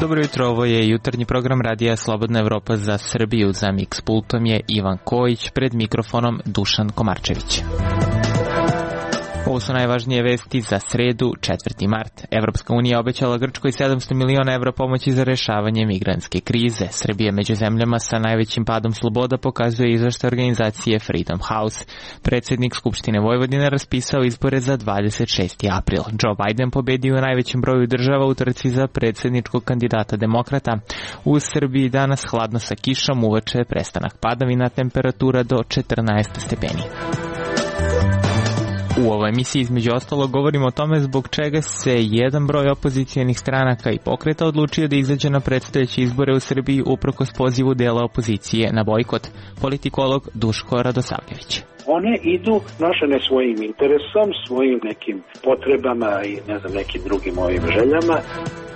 Dobro jutro, ovo je jutarnji program Radija Slobodna Evropa za Srbiju. Za Mix pultom je Ivan Kojić, pred mikrofonom Dušan Komarčević. Ovo su najvažnije vesti za sredu, 4. mart. Evropska unija obećala Grčkoj 700 miliona evra pomoći za rešavanje migrantske krize. Srbija među zemljama sa najvećim padom sloboda, pokazuje izveštaj organizacije Freedom House. Predsjednik Skupštine Vojvodine raspisao izbore za 26. april. Joe Biden pobedio u najvećem broju država u trci za predsjedničkog kandidata demokrata. U Srbiji danas hladno sa kišom, uveče prestanak padavina, temperatura do 14 stepeni. U ovoj emisiji između ostalog govorimo o tome zbog čega se jedan broj opozicijenih stranaka i pokreta odlučio da izađe na predstojeće izbore u Srbiji uprkos pozivu dela opozicije na bojkot. Politikolog Duško Radosavljević. One idu nošene svojim interesom, svojim nekim potrebama i nekim drugim željama.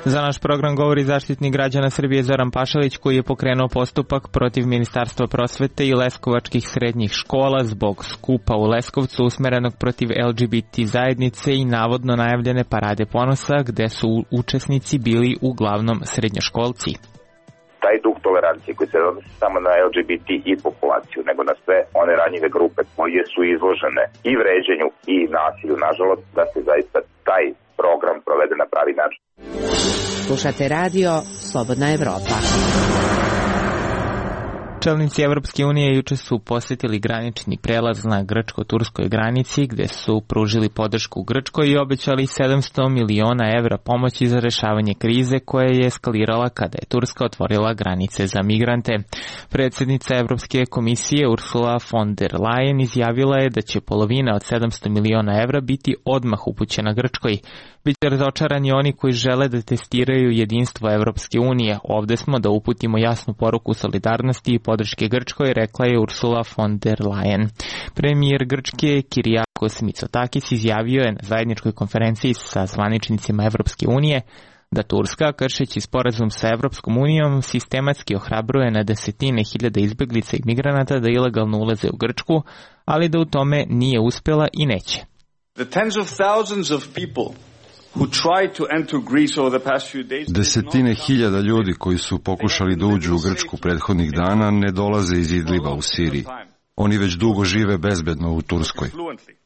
Za naš program govori Zaštitnik građana Srbije Zoran Pašalić, koji je pokrenuo postupak protiv Ministarstva prosvete i leskovačkih srednjih škola zbog skupa u Leskovcu usmerenog protiv LGBT zajednice i navodno najavljene parade ponosa, gde su učesnici bili uglavnom srednjoškolci. Taj duh tolerancije koji se odnosi samo na LGBT i populaciju, nego na sve one ranjive grupe koje su izložene i vređenju i nasilju, nažalost, da se zaista taj program provede na pravi način. Slušate radio Slobodna Evropa. Čelnici Evropske unije juče su posjetili granični prelaz na grčko-turskoj granici, gde su pružili podršku Grčkoj i obećali 700 miliona evra pomoći za rešavanje krize koja je eskalirala kada je Turska otvorila granice za migrante. Predsjednica Evropske komisije Ursula von der Leyen izjavila je da će polovina od 700 miliona evra biti odmah upućena Grčkoj. Biće razočarani oni koji žele da testiraju jedinstvo Evropske unije. Ovde smo da uputimo jasnu poruku solidarnosti i podrške Grčkoj, rekla je Ursula von der Leyen. Premijer Grčke Kyriakos Mitsotakis izjavio je na zajedničkoj konferenciji sa zvaničnicima Evropske unije da Turska, kršeći sporazum sa Evropskom unijom, sistematski ohrabruje na desetine hiljada izbeglica i migranata da ilegalno ulaze u Grčku, ali da u tome nije uspela i neće. Desetine hiljada ljudi koji su pokušali da uđu u Grčku prethodnih dana ne dolaze iz Idliba u Siriji. Oni već dugo žive bezbedno u Turskoj.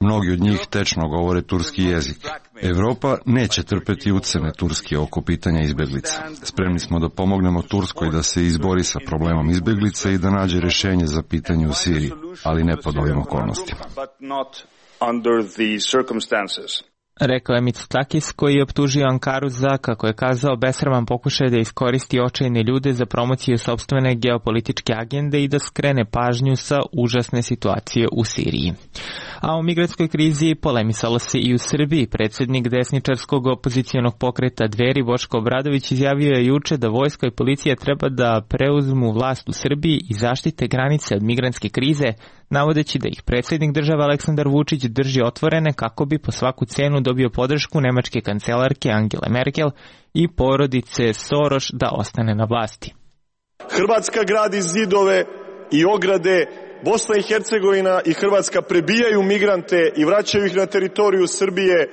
Mnogi od njih tečno govore turski jezik. Evropa neće trpeti ucene Turske oko pitanja izbeglica. Spremni smo da pomognemo Turskoj da se izbori sa problemom izbeglica i da nađe rešenje za pitanje u Siriji, ali ne pod ovim okolnostima. Rekao je Mitsotakis, koji je optužio Ankaru za, kako je kazao, besraman pokušaj da iskoristi očajne ljude za promociju sopstvene geopolitičke agende i da skrene pažnju sa užasne situacije u Siriji. A o migrantskoj krizi polemisalo se i u Srbiji. Predsjednik desničarskog opozicijonog pokreta Dveri Boško Obradović izjavio je juče da vojska i policija treba da preuzmu vlast u Srbiji i zaštite granice od migrantske krize, navodeći da ih predsjednik države Aleksandar Vučić drži otvorene kako bi po svaku cenu dobio podršku nemačke kancelarke Angele Merkel i porodice Soros da ostane na vlasti. Hrvatska gradi zidove i ograde, Bosna i Hercegovina i Hrvatska prebijaju migrante i vraćaju ih na teritoriju Srbije,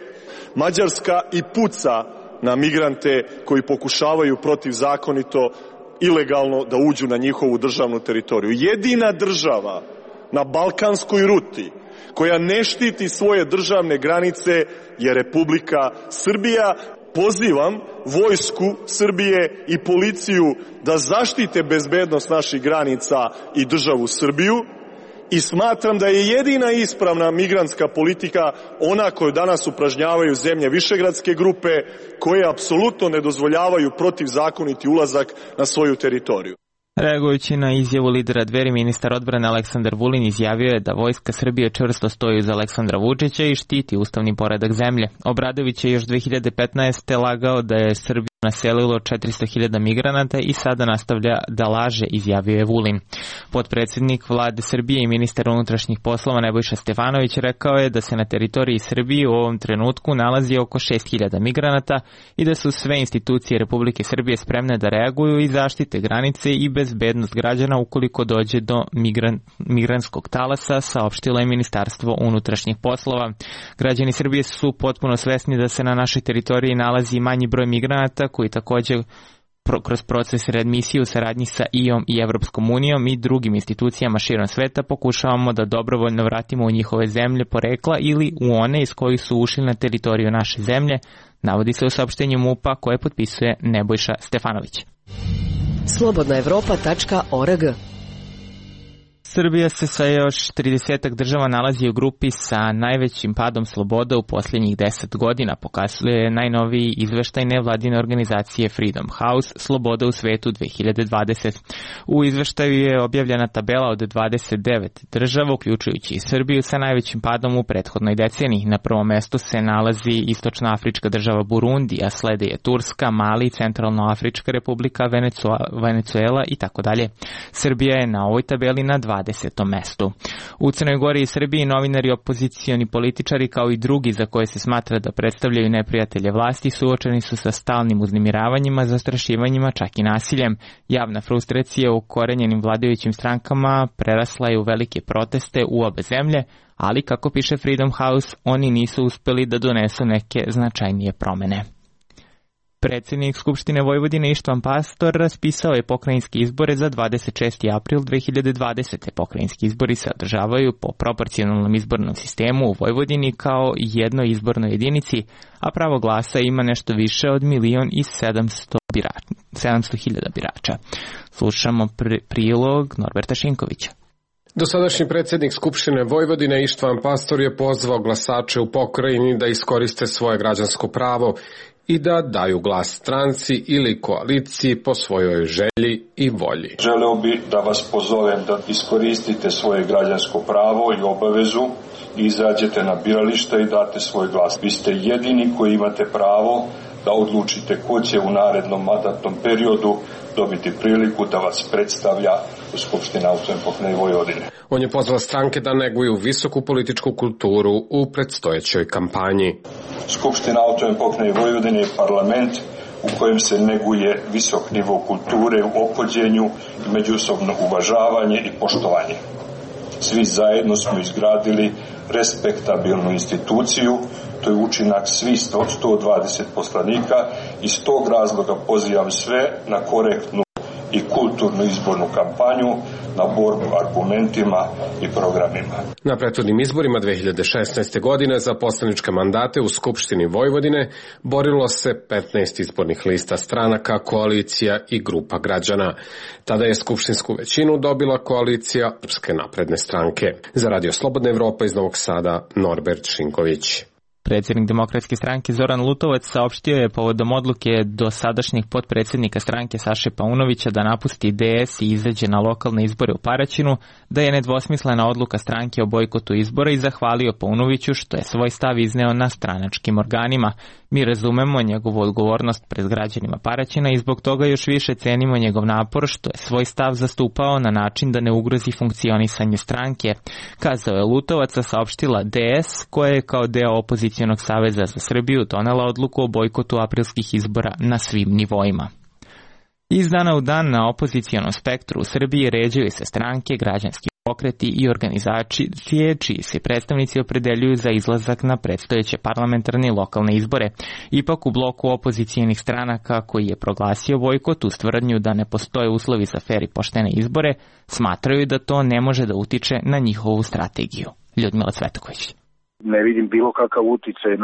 Mađarska i puca na migrante koji pokušavaju protivzakonito, ilegalno da uđu na njihovu državnu teritoriju. Jedina država na balkanskoj ruti koja ne štiti svoje državne granice je Republika Srbija. Pozivam vojsku Srbije i policiju da zaštite bezbednost naših granica i državu Srbiju i smatram da je jedina ispravna migrantska politika ona koju danas upražnjavaju zemlje Višegradske grupe koje apsolutno ne dozvoljavaju protivzakoniti ulazak na svoju teritoriju. Reagujući na izjavu lidera Dveri, ministar odbrane Aleksandar Vulin izjavio je da vojska Srbije čvrsto stoji uz Aleksandra Vučića i štiti ustavni poredak zemlje. Obradović je još 2015. lagao da je Srbija naselilo 400.000 migranata i sada nastavlja da laže, izjavio je Vulin. Potpredsjednik vlade Srbije i ministar unutrašnjih poslova Nebojša Stefanović rekao je da se na teritoriji Srbije u ovom trenutku nalazi oko 6.000 migranata i da su sve institucije Republike Srbije spremne da reaguju i zaštite granice i bezbednost građana ukoliko dođe do migrantskog talasa, saopštilo je Ministarstvo unutrašnjih poslova. Građani Srbije su potpuno svesni da se na našoj teritoriji nalazi manji broj migranata koji također kroz proces readmisije u saradnji sa IOM i Evropskom unijom i drugim institucijama širom sveta pokušavamo da dobrovoljno vratimo u njihove zemlje porekla ili u one iz kojih su ušli na teritoriju naše zemlje, navodi se u saopštenju MUP-a koje potpisuje Nebojša Stefanović. Slobodnaevropa.org. Srbija se sa još 30 država nalazi u grupi sa najvećim padom sloboda u posljednjih 10 godina, pokazuje najnoviji izveštaj nevladine organizacije Freedom House Sloboda u svetu 2020. U izveštaju je objavljena tabela od 29 država, uključujući i Srbiju, sa najvećim padom u prethodnoj deceniji. Na prvom mestu se nalazi istočnoafrička država Burundi, a slede je Turska, Mali, Centralnoafrička republika, Venezuela i tako dalje. Srbija je na ovoj tabeli na 20. mestu. U Crnoj Gori i Srbiji novinari, opozicioni političari kao i drugi za koje se smatra da predstavljaju neprijatelje vlasti suočeni su sa stalnim uznemiravanjima, zastrašivanjima, čak i nasiljem. Javna frustracija u korenjenim vladajućim strankama prerasla je u velike proteste u obe zemlje, ali kako piše Freedom House, oni nisu uspeli da donesu neke značajnije promene. Predsjednik Skupštine Vojvodine Ištvan Pastor raspisao je pokrajinske izbore za 26. april 2020. Pokrajinski izbori se održavaju po proporcionalnom izbornom sistemu u Vojvodini kao jednoj izbornoj jedinici, a pravo glasa ima nešto više od 1.700.000 birača. Slušamo prilog Norberta Šinkovića. Dosadašnji predsjednik Skupštine Vojvodine Ištvan Pastor je pozvao glasače u pokrajini da iskoriste svoje građansko pravo i da daju glas stranci ili koaliciji po svojoj želji i volji. Želeo bi da vas pozovem da iskoristite svoje građansko pravo i obavezu i izađete na birališta i date svoj glas. Vi ste jedini koji imate pravo da odlučite ko će u narednom mandatnom periodu dobiti priliku da vas predstavlja u Skupštini Autonomne pokrajine Vojvodine. On je pozvao stranke da neguju visoku političku kulturu u predstojećoj kampanji. Skupština Autonomne pokrajine Vojvodine je parlament u kojem se neguje visok nivo kulture u ophođenju i međusobno uvažavanje i poštovanje. Svi zajedno smo izgradili respektabilnu instituciju, to je učinak svih 120 poslanika i iz tog razloga pozivam sve na korektnu i kulturnu izbornu kampanju, na borbu argumentima i programima. Na prethodnim izborima 2016. godine za poslaničke mandate u Skupštini Vojvodine borilo se 15 izbornih lista stranaka, koalicija i grupa građana. Tada je skupštinsku većinu dobila koalicija Srpske napredne stranke. Za Radio Slobodna Evropa iz Novog Sada, Norbert Šinković. Predsjednik Demokratske stranke Zoran Lutovac saopštio je povodom odluke dosadašnjeg potpredsjednika stranke Saše Paunovića da napusti DS i izađe na lokalne izbore u Paraćinu, da je nedvosmislena odluka stranke o bojkotu izbora i zahvalio Paunoviću što je svoj stav izneo na stranačkim organima. Mi razumemo njegovu odgovornost pred građanima Paraćina i zbog toga još više cenimo njegov napor što je svoj stav zastupao na način da ne ugrozi funkcionisanje stranke, kazao je Lutovac, a saopštila DS koja je kao deo opozicionog saveza za Srbiju donela odluku o bojkotu aprilskih izbora na svim nivoima. Iz dana u dan na opozicijonom spektru u Srbiji ređaju se stranke, građanski pokreti i organizacije čiji se predstavnici opredeljuju za izlazak na predstojeće parlamentarne i lokalne izbore. Ipak u bloku opozicijenih stranaka koji je proglasio bojkot uz tvrdnju da ne postoje uslovi za fer i poštene izbore, smatraju da to ne može da utiče na njihovu strategiju. Ljudmila Cvetoković. Ne vidim bilo kakav uticaj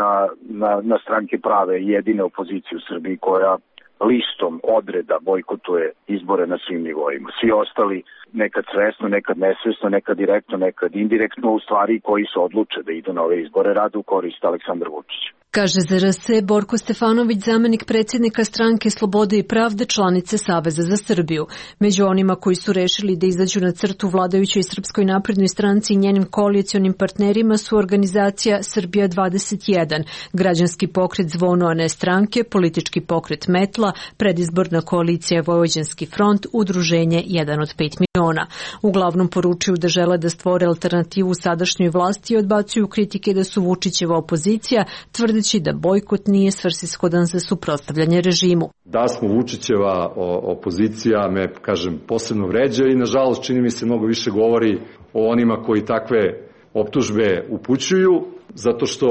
na stranke prave, jedine opozicije u Srbiji koja listom odreda bojkotuje izbore na svim nivoima. Svi ostali nekad svesno, nekad nesvesno, nekad direktno, nekad indirektno, u stvari koji se odluče da idu na ove izbore rade u korist Aleksandra Vučića. Kaže za RS Borko Stefanović, zamenik predsjednika stranke Slobode i pravde, članice Saveza za Srbiju. Među onima koji su rešili da izađu na crtu vladajućoj Srpskoj naprednoj stranci i njenim koalicionim partnerima su organizacija Srbija 21, građanski pokret Zvono, a ne stranke, politički pokret Metla, predizborna koalicija Vojvođanski front, udruženje 1 od 5 miliona. Uglavnom poručuju da žele da stvore alternativu sadašnjoj vlasti i odbacuju kritike da su Vučićeva opozicija, tvrdeći da bojkot nije svrsishodan za suprotstavljanje režimu. Da smo Vučićeva opozicija me, kažem, posebno vređa i nažalost čini mi se mnogo više govori o onima koji takve optužbe upućuju, zato što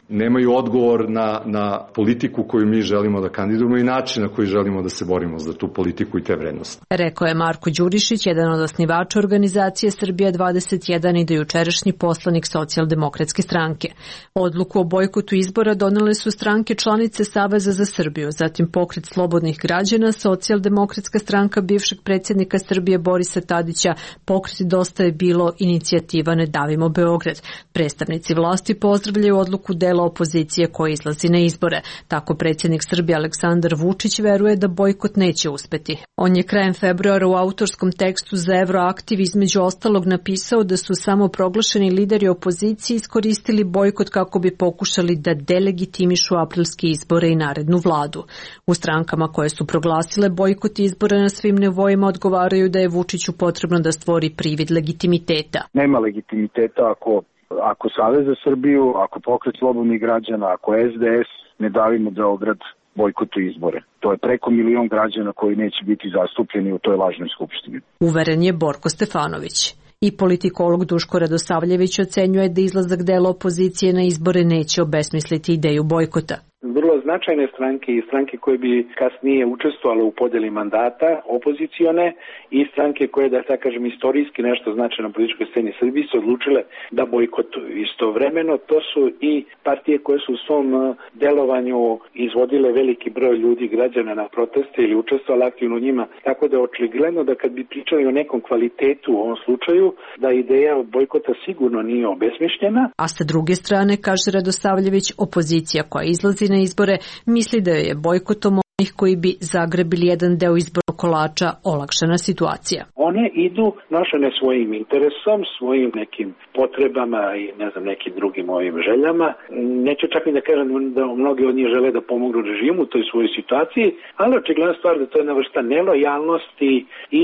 nemaju odgovor na politiku koju mi želimo da kandidujemo i način na koji želimo da se borimo za tu politiku i te vrednosti. Rekao je Marko Đurišić, jedan od osnivača organizacije Srbija 21 i dojučerašnji poslanik Socijaldemokratske stranke. Odluku o bojkotu izbora donele su stranke članice Saveza za Srbiju, zatim Pokret slobodnih građana, Socijaldemokratska stranka bivšeg predsjednika Srbije Borisa Tadića, Pokret Dosta je bilo, inicijativa Ne davimo Beograd. Predstavnici vlasti pozdravljaju odluku dela opozicije koja izlazi na izbore. Tako predsjednik Srbije Aleksandar Vučić veruje da bojkot neće uspeti. On je krajem februara u autorskom tekstu za Euroaktiv između ostalog napisao da su samo proglašeni lideri opozicije iskoristili bojkot kako bi pokušali da delegitimišu aprilske izbore i narednu vladu. U strankama koje su proglasile bojkot izbora na svim nivoima odgovaraju da je Vučiću potrebno da stvori privid legitimiteta. Nema legitimiteta ako Savez za Srbiju, ako Pokret slobodnih građana, ako SDS Ne davimo Beograd bojkotu izbore. To je preko 1 milion građana koji neće biti zastupljeni u toj lažnoj skupštini. Uveren je Borko Stefanović. I politikolog Duško Radosavljević ocenjuje da izlazak dela opozicije na izbore neće obesmisliti ideju bojkota. Vrlo značajne stranke i stranke koje bi kasnije učestvovale u podjeli mandata, opozicione, i stranke koje, da tako kažem, istorijski nešto znače na političkoj sceni Srbije, su odlučile da bojkotuju. Istovremeno to su i partije koje su u svom delovanju izvodile veliki broj ljudi, građana na proteste ili učestvovali aktivno u njima. Tako da je očigledno da kad bi pričali o nekom kvalitetu u ovom slučaju, da ideja bojkota sigurno nije obesmišljena. A sa druge strane, kaže Radosavljević, opozicija koja izlazi na izbore misli da je bojkotom onih koji bi zagrebili jedan deo izbornog kolača olakšana situacija. One idu nošene svojim interesom, svojim nekim potrebama i nekim drugim ovim željama. Neću čak i da kažem da mnogi od njih žele da pomognu režimu u toj svojoj situaciji, ali očigledna stvar da to je jedna vrsta nelojalnosti i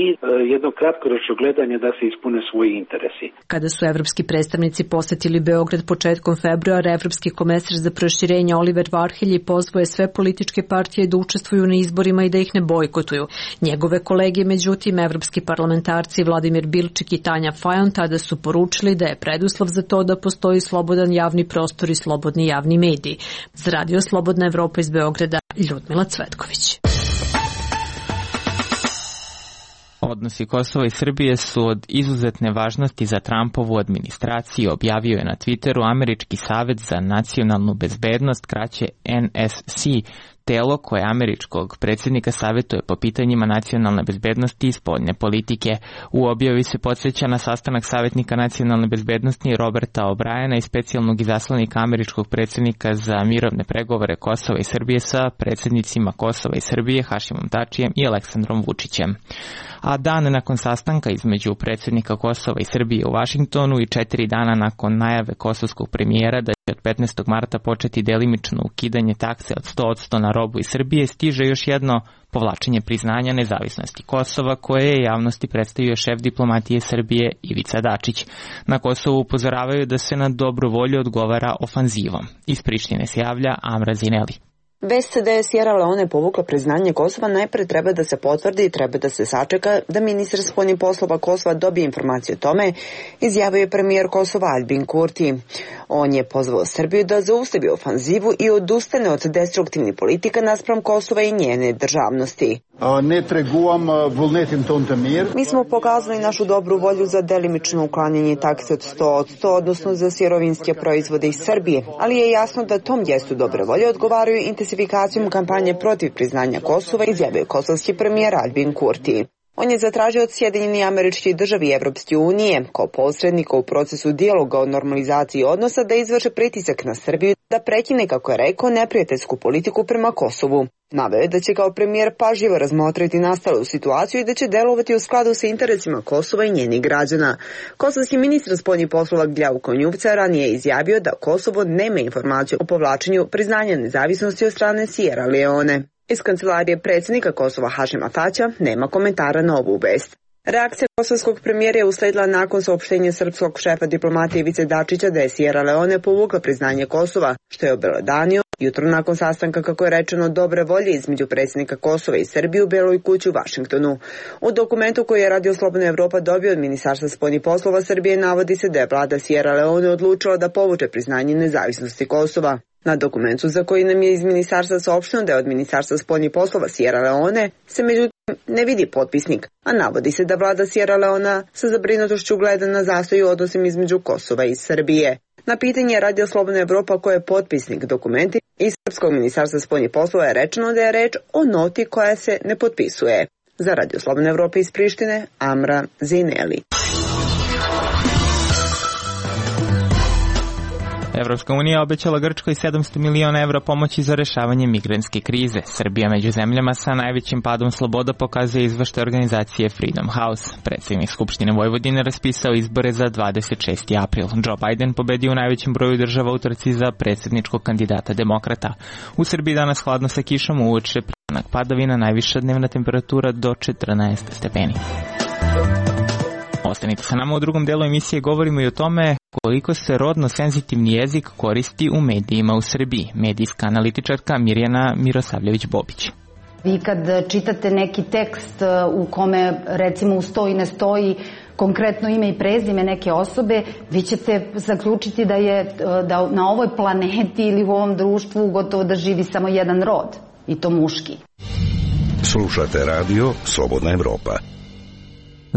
jedno kratkoročno gledanje da se ispune svoji interesi. Kada su evropski predstavnici posetili Beograd početkom februara, evropski komesar za proširenje Oliver Varhelji pozvao je sve političke partije da učestvuju na izborima i da ih ne bojkotuju. Njegove kolege, međutim, evropski parlamentarci Vladimir Bilčik i Tanja Fajon tada su poručili da je preduslov za to da postoji slobodan javni prostor i slobodni javni mediji. Za Radio Slobodna Evropa iz Beograda, Ljudmila Cvetković. Odnosi Kosova i Srbije su od izuzetne važnosti za Trumpovu administraciju, objavio je na Twitteru Američki savet za nacionalnu bezbednost, kraće NSC, telo koje američkog predsjednika savjetuje po pitanjima nacionalne bezbednosti i spoljne politike. U objavi se podsjeća na sastanak savjetnika nacionalne bezbednosti Roberta O'Briena i specijalnog izaslanika američkog predsjednika za mirovne pregovore Kosova i Srbije sa predsjednicima Kosova i Srbije Hašimom Tačijem i Aleksandrom Vučićem. A dan nakon sastanka između predsjednika Kosova i Srbije u Vašingtonu i 4 dana nakon najave kosovskog premijera da će od 15. marta početi delimično ukidanje takse od 100% na robu iz Srbije, stiže još jedno povlačenje priznanja nezavisnosti Kosova koje je javnosti predstavio šef diplomatije Srbije Ivica Dačić. Na Kosovu upozoravaju da se na dobru volju odgovara ofanzivom. Iz Prištine se javlja Amra Zineli. Vest da je Sierra Leone povukla priznanje Kosova najpre treba da se potvrdi i treba da se sačeka da ministar spoljnih poslova Kosova dobije informaciju o tome, izjavio je premijer Kosova Albin Kurti. On je pozvao Srbiju da zaustavi ofanzivu i odustane od destruktivnih politika naspram Kosova i njene državnosti. Mi smo pokazali našu dobru volju za delimično uklanjanje takse od 100%, odnosno za sirovinske proizvode iz Srbije, ali je jasno da tom gestu dobre volje odgovaraju intensifikacijom kampanje protiv priznanja Kosova, izjavio kosovski premijer Albin Kurti. On je zatražio od Sjedinjenih Američkih Država i Evropske unije kao posrednika u procesu dijaloga o normalizaciji odnosa da izvrše pritisak na Srbiju da prekine, kako je rekao, neprijateljsku politiku prema Kosovu. Naveo je da će kao premijer pažljivo razmotriti nastalu situaciju i da će delovati u skladu sa interesima Kosova i njenih građana. Kosovski ministar spoljnih poslova Gljavko Njuvca ranije je izjavio da Kosovo nema informaciju o povlačenju priznanja nezavisnosti od strane Sierra Leone. Iz kancelarije predsjednika Kosova Hašima Tačija nema komentara na ovu vest. Reakcija kosovskog premijera je usledila nakon saopštenja srpskog šefa diplomatije Ivice Dačića da je Sierra Leone povukla priznanje Kosova, što je obelodanio Jutro nakon sastanka, kako je rečeno, dobre volje između predsjednika Kosova i Srbije u Beloj kući u Vašingtonu. U dokumentu koji je Radio Slobodna Evropa dobio od Ministarstva spoljnih poslova Srbije navodi se da je vlada Sierra Leone odlučila da povuče priznanje nezavisnosti Kosova. Na dokumentu za koji nam je iz ministarstva saopšteno da je od Ministarstva spoljnih poslova Sierra Leone se međutim ne vidi potpisnik, a navodi se da vlada Sierra Leona sa zabrinutošću gleda na zastoj u odnosima između Kosova i Srbije. Na pitanje Radio Slobodna Evropa ko je potpisnik dokumenti iz Srpskog ministarstva spoljnih poslova je rečeno da je reč o noti koja se ne potpisuje. Za Radio Slobodna Evropa iz Prištine, Amra Zineli. Evropska unija obećala Grčkoj 700 miliona evra pomoći za rešavanje migrantske krize. Srbija među zemljama sa najvećim padom sloboda pokazuje izveštaj organizacije Freedom House. Predsjednik Skupštine Vojvodine raspisao izbore za 26. april. Joe Biden pobedio u najvećem broju država u trci za predsjedničkog kandidata demokrata. U Srbiji danas hladno sa kišom, uoče prestanak padavina, najviša dnevna temperatura do 14 stepeni. Ostanite sa nama, u drugom delu emisije govorimo i o tome koliko se rodno senzitivni jezik koristi u medijima u Srbiji. Medijska analitičarka Mirjana Mirosavljević-Bobić. Vi kad čitate neki tekst u kome recimo stoji ne stoji konkretno ime i prezime neke osobe, vi ćete zaključiti da na ovoj planeti ili u ovom društvu gotovo da živi samo jedan rod, i to muški. Slušate radio Slobodna Evropa.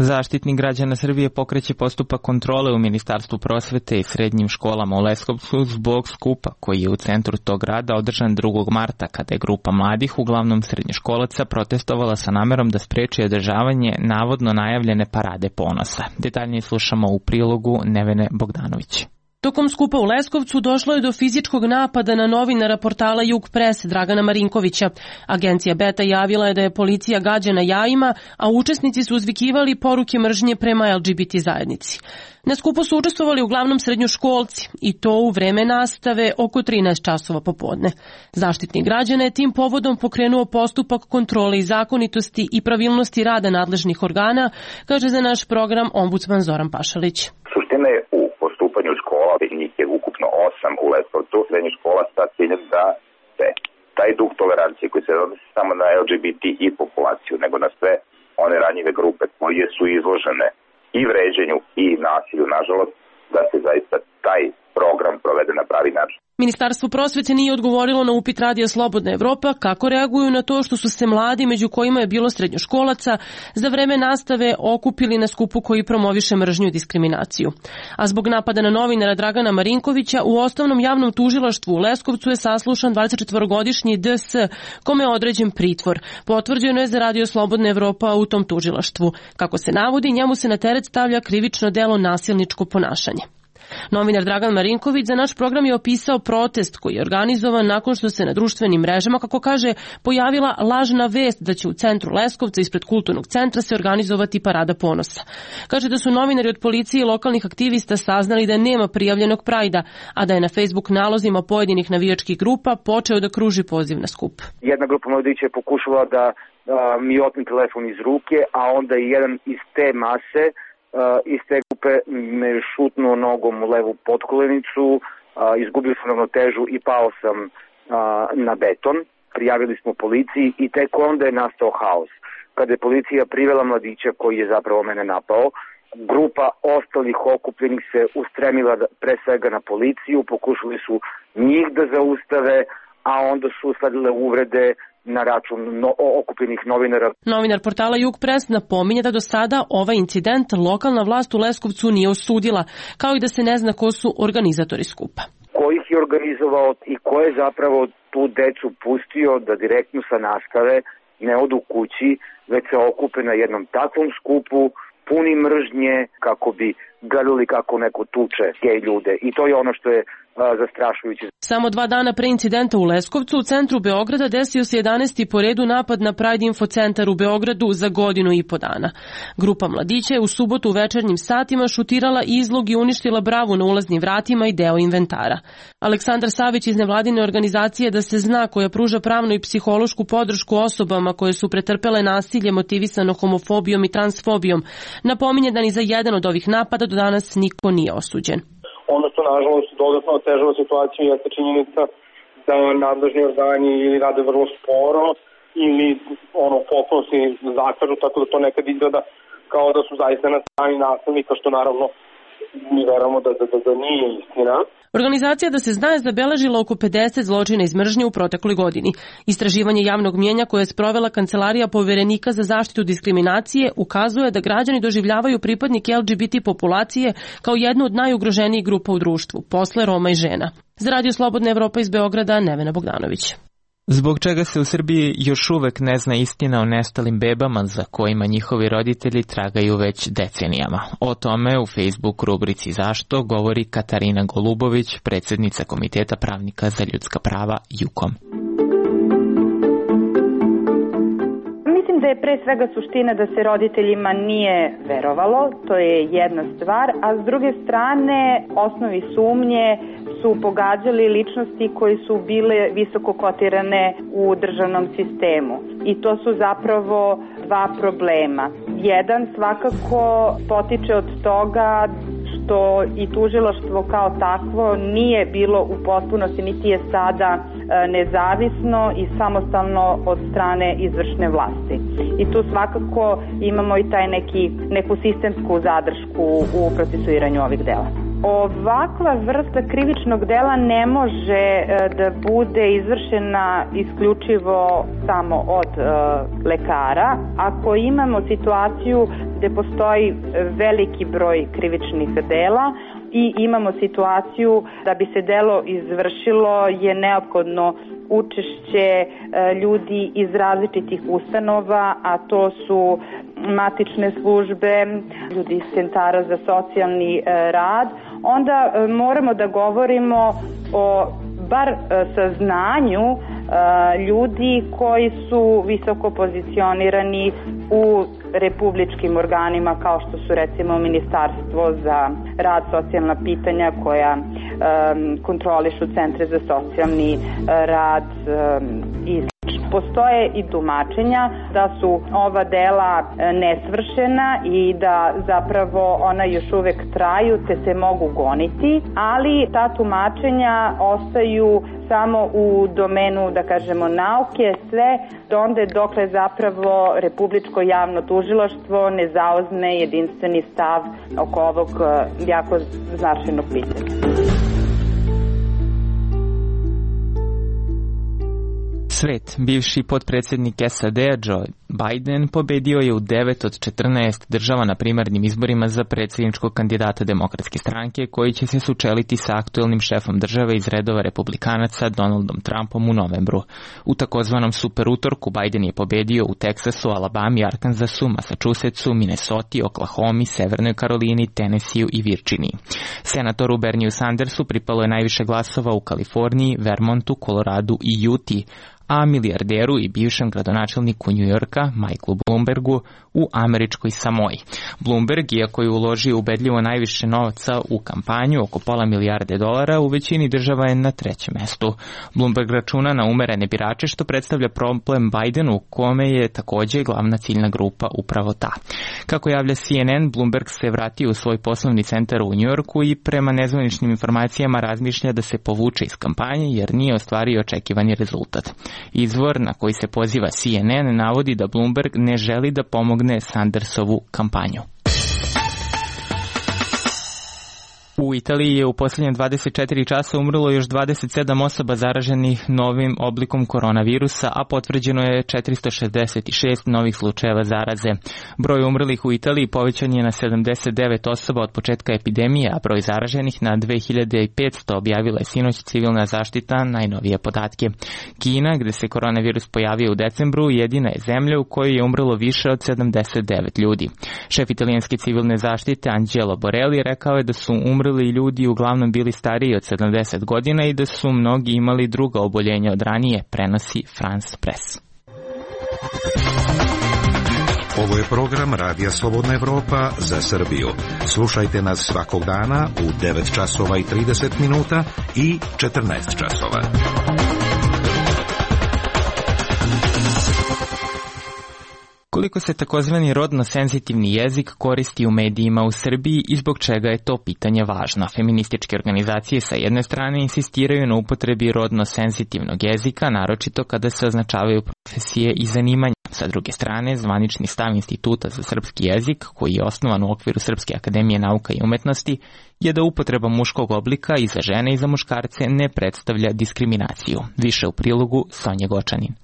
Zaštitnik građana Srbije pokreće postupak kontrole u Ministarstvu prosvete i srednjim školama u Leskovcu zbog skupa koji je u centru tog grada održan 2. marta kada je grupa mladih, uglavnom srednjoškolaca, protestovala sa namerom da spreči održavanje navodno najavljene parade ponosa. Detaljnije slušamo u prilogu Nevene Bogdanović. Tokom skupa u Leskovcu došlo je do fizičkog napada na novinara portala Jug Pres Dragana Marinkovića. Agencija Beta javila je da je policija gađana jajima, a učesnici su uzvikivali poruke mržnje prema LGBT zajednici. Na skupu su učestvovali uglavnom srednjoškolci i to u vreme nastave oko 13 časova popodne. Zaštitnik građana je tim povodom pokrenuo postupak kontrole i zakonitosti i pravilnosti rada nadležnih organa, kaže za naš program ombudsman Zoran Pašalić. Suština je u postupanju škola, njih je ukupno 8 u Leskovcu, srednjih škola sa ciljem da se taj duh tolerancije koji se odnosi samo na LGBT i populaciju, nego na sve one ranjive grupe koje su izložene i vređenju i nasilju, nažalost, da se zaista taj program provede na pravi način. Ministarstvo prosvete nije odgovorilo na upit Radija Slobodna Evropa kako reaguju na to što su se mladi, među kojima je bilo srednjoškolaca, za vreme nastave okupili na skupu koji promoviše mržnju i diskriminaciju. A zbog napada na novinara Dragana Marinkovića u Osnovnom javnom tužilaštvu u Leskovcu je saslušan 24-godišnji DS, kome je određen pritvor. Potvrđeno je za Radio Slobodna Evropa u tom tužilaštvu. Kako se navodi, njemu se na teret stavlja krivično delo nasilničko ponašanje. Novinar Dragan Marinković za naš program je opisao protest koji je organizovan nakon što se na društvenim mrežama, kako kaže, pojavila lažna vest da će u centru Leskovca ispred kulturnog centra se organizovati parada ponosa. Kaže da su novinari od policije i lokalnih aktivista saznali da nema prijavljenog prajda, a da je na Facebook nalozima pojedinih navijačkih grupa počeo da kruži poziv na skup. Jedna grupa mladića je pokušala da mi otme telefon iz ruke, a onda je jedan iz te mase iz te grupe me šutnuo nogom u levu potkolenicu, izgubio sam ravnotežu i pao sam na beton. Prijavili smo policiji i tek onda je nastao haos. Kada je policija privela mladića koji je zapravo mene napao, grupa ostalih okupljenih se ustremila pre svega na policiju, pokušali su njih da zaustave, a onda su usledile uvrede na račun okupljenih novinara. Novinar portala Jug Pres napominje da do sada ovaj incident lokalna vlast u Leskovcu nije osudila, kao i da se ne zna ko su organizatori skupa. Ko ih je organizovao i ko je zapravo tu decu pustio da direktno sa nastave ne odu kući, već se okupe na jednom takvom skupu, puni mržnje, kako bi gledali kako neko tuče gej ljude. I to je ono što je zastrašujuće. Samo 2 dana pre incidenta u Leskovcu, u centru Beograda, desio se 11. po redu napad na Pride Info centar u Beogradu za 1.5 godina. Grupa mladića je u subotu u večernjim satima šutirala izlog i uništila bravu na ulaznim vratima i deo inventara. Aleksandar Savić iz nevladine organizacije Da se zna, koja pruža pravnu i psihološku podršku osobama koje su pretrpele nasilje motivisano homofobijom i transfobijom, napominje da ni za jedan od ovih napada do danas niko nije osuđen. Ono što nažalost dodatno otežava situaciju jeste činjenica da nadležni organi ili rade vrlo sporo ili potpuno se zakažu, tako da to nekad izgleda kao da su zaista na strani nasilnika, što naravno mi verujemo da nije istina. Organizacija Da se zna je zabeležila oko 50 zločina iz mržnje u protekloj godini. Istraživanje javnog mnjenja koje je sprovela Kancelarija Poverenika za zaštitu diskriminacije ukazuje da građani doživljavaju pripadnike LGBT populacije kao jednu od najugroženijih grupa u društvu, posle Roma i žena. Za Radio Slobodna Evropa iz Beograda, Nevena Bogdanović. Zbog čega se u Srbiji još uvek ne zna istina o nestalim bebama za kojima njihovi roditelji tragaju već decenijama. O tome u Facebook rubrici Zašto govori Katarina Golubović, predsjednica Komiteta pravnika za ljudska prava JUKOM. Mislim da je pre svega suština da se roditeljima nije verovalo, to je jedna stvar, a s druge strane osnovi sumnje su pogađali ličnosti koji su bile visoko kotirane u državnom sistemu. I to su zapravo dva problema. Jedan svakako potiče od toga što i tužilaštvo kao takvo nije bilo u potpunosti, niti je sada nezavisno i samostalno od strane izvršne vlasti. I tu svakako imamo i taj neku sistemsku zadršku u procesuiranju ovih dela. Ovakva vrsta krivičnog dela ne može da bude izvršena isključivo samo od lekara. Ako imamo situaciju gde postoji veliki broj krivičnih dela i imamo situaciju da bi se delo izvršilo, je neophodno učešće ljudi iz različitih ustanova, a to su matične službe, ljudi iz centara za socijalni rad, onda moramo da govorimo o bar saznanju ljudi koji su visoko pozicionirani u republičkim organima kao što su recimo Ministarstvo za rad, socijalna pitanja koja kontrolišu centre za socijalni rad i postoje i tumačenja da su ova dela nesvršena i da zapravo ona još uvek traju te se mogu goniti, ali ta tumačenja ostaju samo u domenu, da kažemo, nauke, sve donde dokle zapravo Republičko javno tužilaštvo ne zauzme jedinstveni stav oko ovog jako značajnog pitanja. Svet, bivši potpredsjednik SAD-a Joe Biden pobedio je u 9 od 14 država na primarnim izborima za predsjedničkog kandidata Demokratske stranke koji će se sučeliti sa aktuelnim šefom države iz redova republikanaca Donaldom Trumpom u novembru. U takozvanom super utorku Biden je pobedio u Teksasu, Alabami, Arkansasu, Massachusettsu, Minnesoti, Oklahomi, Severnoj Karolini, Tennesseeu i Virginiji. Senatoru Bernieu Sandersu pripalo je najviše glasova u Kaliforniji, Vermontu, Koloradu i Utah, a milijarderu i bivšem gradonačelniku Njujorka, Michaelu Bloombergu, u američkoj Samoji. Bloomberg, iako je uložio ubedljivo najviše novaca u kampanju, oko $500 milijardi, u većini država je na trećem mestu. Bloomberg računa na umerene birače, što predstavlja problem Bidenu, u kome je takođe glavna ciljna grupa upravo ta. Kako javlja CNN, Bloomberg se vratio u svoj poslovni centar u Njujorku i prema nezvaničnim informacijama razmišlja da se povuče iz kampanje jer nije ostvario očekivani rezultat. Izvor na koji se poziva CNN navodi da Bloomberg ne želi da pomogne Sandersovu kampanju. U Italiji je u posljednje 24 časa umrlo još 27 osoba zaraženih novim oblikom koronavirusa, a potvrđeno je 466 novih slučajeva zaraze. Broj umrlih u Italiji povećan je na 79 osoba od početka epidemije, a broj zaraženih na 2500, objavila je sinoć civilna zaštita najnovije podatke. Kina, gde se koronavirus pojavio u decembru, jedina je zemlja u kojoj je umrlo više od 79 ljudi. Šef italijanske civilne zaštite Angelo Borelli rekao je da su umrli ljudi uglavnom bili stariji od 70 godina i da su mnogi imali druga oboljenja od ranije, prenosi France Press. Ovo je program Radija Slobodna Evropa za Srbiju. Slušajte nas svakog dana u 9 časova i 30 minuta i 14 časova. Koliko se takozvani rodno senzitivni jezik koristi u medijima u Srbiji i zbog čega je to pitanje važno? Feminističke organizacije sa jedne strane insistiraju na upotrebi rodno senzitivnog jezika, naročito kada se označavaju profesije i zanimanja. Sa druge strane, zvanični stav Instituta za srpski jezik, koji je osnovan u okviru Srpske akademije nauka i umetnosti, je da upotreba muškog oblika i za žene i za muškarce ne predstavlja diskriminaciju. Više u prilogu Sonje Gočanin.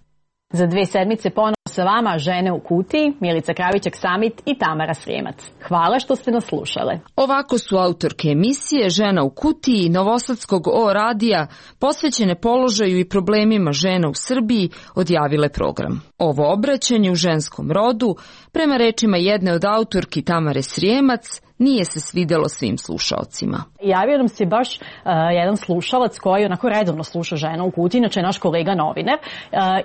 Za 2 sedmice ponovo sa vama Žene u kutiji, Milica Kravićak-Samit i Tamara Srijemac. Hvala što ste nas slušale. Ovako su autorke emisije Žena u kutiji Novosadskog O radija posvećene položaju i problemima žena u Srbiji odjavile program. Ovo obraćanje u ženskom rodu, prema rečima jedne od autorki Tamare Srijemac, nije se svidelo svim slušalcima. Javio nam se baš jedan slušalac koji onako redovno sluša Žena u kutiji, inače je naš kolega novinar,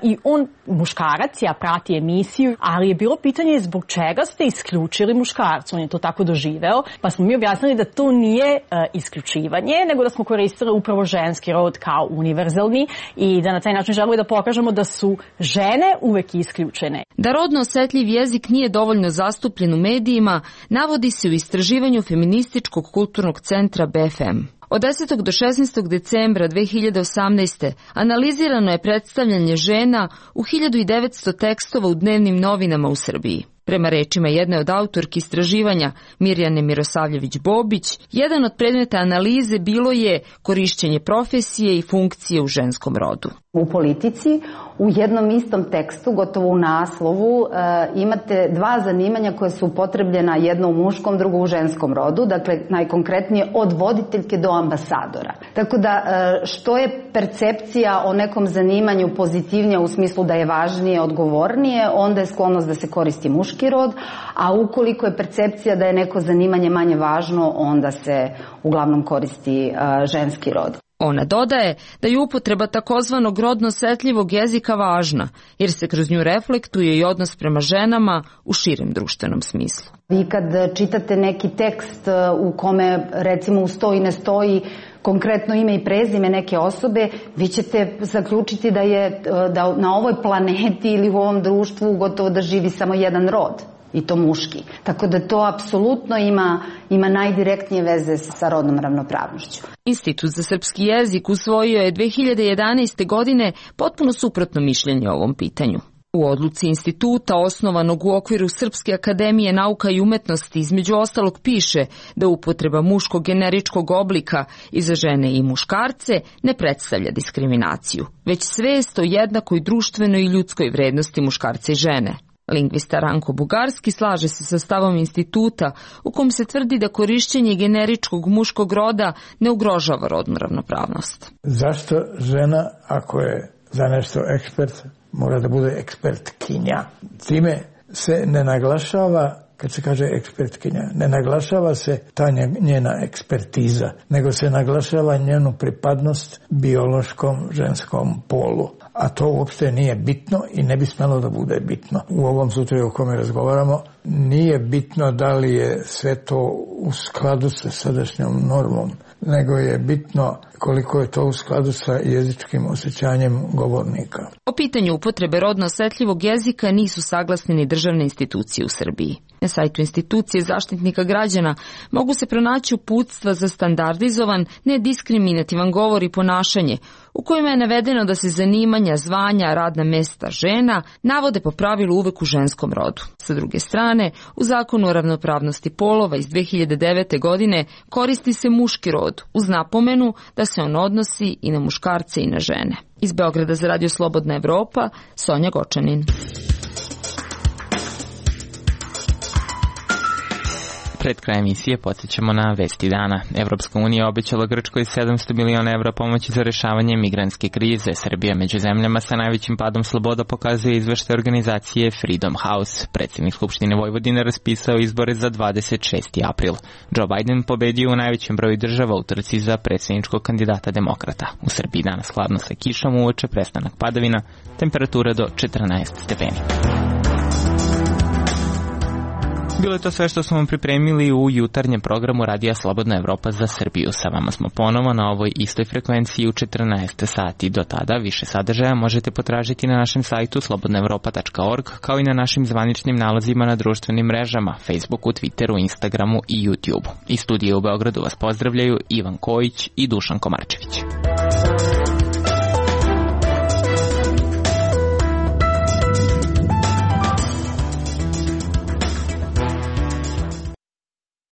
i on muškarac, ja prati emisiju, ali je bilo pitanje zbog čega ste isključili muškarca, on je to tako doživeo, pa smo mi objasnili da to nije isključivanje, nego da smo koristili upravo ženski rod kao univerzalni i da na taj način želimo da pokažemo da su žene uvek isključene. Da rodno osetljiv jezik nije dovoljno zastupljen u medijima, navodi se u istraživanju Feminističkog kulturnog centra BFM. Od 10. do 16. decembra 2018. analizirano je predstavljanje žena u 1900 tekstova u dnevnim novinama u Srbiji. Prema rečima jedne od autorki istraživanja Mirjane Mirosavljević-Bobić, jedan od predmeta analize bilo je korišćenje profesije i funkcije u ženskom rodu. U politici u jednom istom tekstu, gotovo u naslovu, imate 2 zanimanja koje su upotrebljena, jedno u muškom, drugo u ženskom rodu, dakle najkonkretnije od voditeljke do ambasadora. Tako da što je percepcija o nekom zanimanju pozitivnija u smislu da je važnije, odgovornije, onda je sklonost da se koristi muški rod, a ukoliko je percepcija da je neko zanimanje manje važno, onda se uglavnom koristi ženski rod. Ona dodaje da je upotreba takozvanog rodno osetljivog jezika važna, jer se kroz nju reflektuje i odnos prema ženama u širem društvenom smislu. Vi kad čitate neki tekst u kome recimo stoji i ne stoji konkretno ime i prezime neke osobe, vi ćete zaključiti da na ovoj planeti ili u ovom društvu gotovo da živi samo jedan rod. I to muški. Tako da to apsolutno ima najdirektnije veze sa rodnom ravnopravnošću. Institut za srpski jezik usvojio je 2011. godine potpuno suprotno mišljenje o ovom pitanju. U odluci instituta, osnovanog u okviru Srpske akademije nauka i umetnosti, između ostalog piše da upotreba muškog generičkog oblika i za žene i muškarce ne predstavlja diskriminaciju, već svest o jednakoj društvenoj i ljudskoj vrednosti muškarca i žene. Lingvista Ranko Bugarski slaže se sa stavom instituta u kom se tvrdi da korišćenje generičkog muškog roda ne ugrožava rodnu ravnopravnost. Zašto žena, ako je za nešto ekspert, mora da bude ekspertkinja? Time se ne naglašava, kad se kaže ekspertkinja, ne naglašava se ta njena ekspertiza, nego se naglašava njenu pripadnost biološkom ženskom polu. A to uopšte nije bitno i ne bi smelo da bude bitno. U ovom slučaju o kome razgovaramo, nije bitno da li je sve to u skladu sa sadašnjom normom, nego je bitno koliko je to u skladu sa jezičkim osjećanjem govornika. O pitanju upotrebe rodno osetljivog jezika nisu saglasne ni državne institucije u Srbiji. Na sajtu institucije Zaštitnika građana mogu se pronaći uputstva za standardizovan, nediskriminativan govor i ponašanje, u kojima je navedeno da se zanimanja, zvanja, radna mesta žena navode po pravilu uvek u ženskom rodu. Sa druge strane, u Zakonu o ravnopravnosti polova iz 2009. godine koristi se muški rod, uz napomenu da se on odnosi i na muškarce i na žene. Iz Beograda za Radio Slobodna Evropa, Sonja Gočanin. Pred kraj emisije podsjećamo na vesti dana. Evropska unija obećala Grčkoj 700 miliona evra pomoći za rešavanje migrantske krize. Srbija među zemljama sa najvećim padom sloboda pokazuje izveštaj organizacije Freedom House. Predsjednik Skupštine Vojvodine raspisao izbore za 26. april. Joe Biden pobedio u najvećem broju država u trci za predsjedničkog kandidata demokrata. U Srbiji danas hladno sa kišom, uveče prestanak padavina, temperatura do 14 stepeni. Bilo je to sve što smo vam pripremili u jutarnjem programu Radija Slobodna Evropa za Srbiju. Sa vama smo ponovo na ovoj istoj frekvenciji u 14 sati. Do tada više sadržaja možete potražiti na našem sajtu slobodnaevropa.org, kao i na našim zvaničnim nalazima na društvenim mrežama, Facebooku, Twitteru, Instagramu i YouTubeu. Iz studija u Beogradu vas pozdravljaju Ivan Kojić i Dušan Komarčević.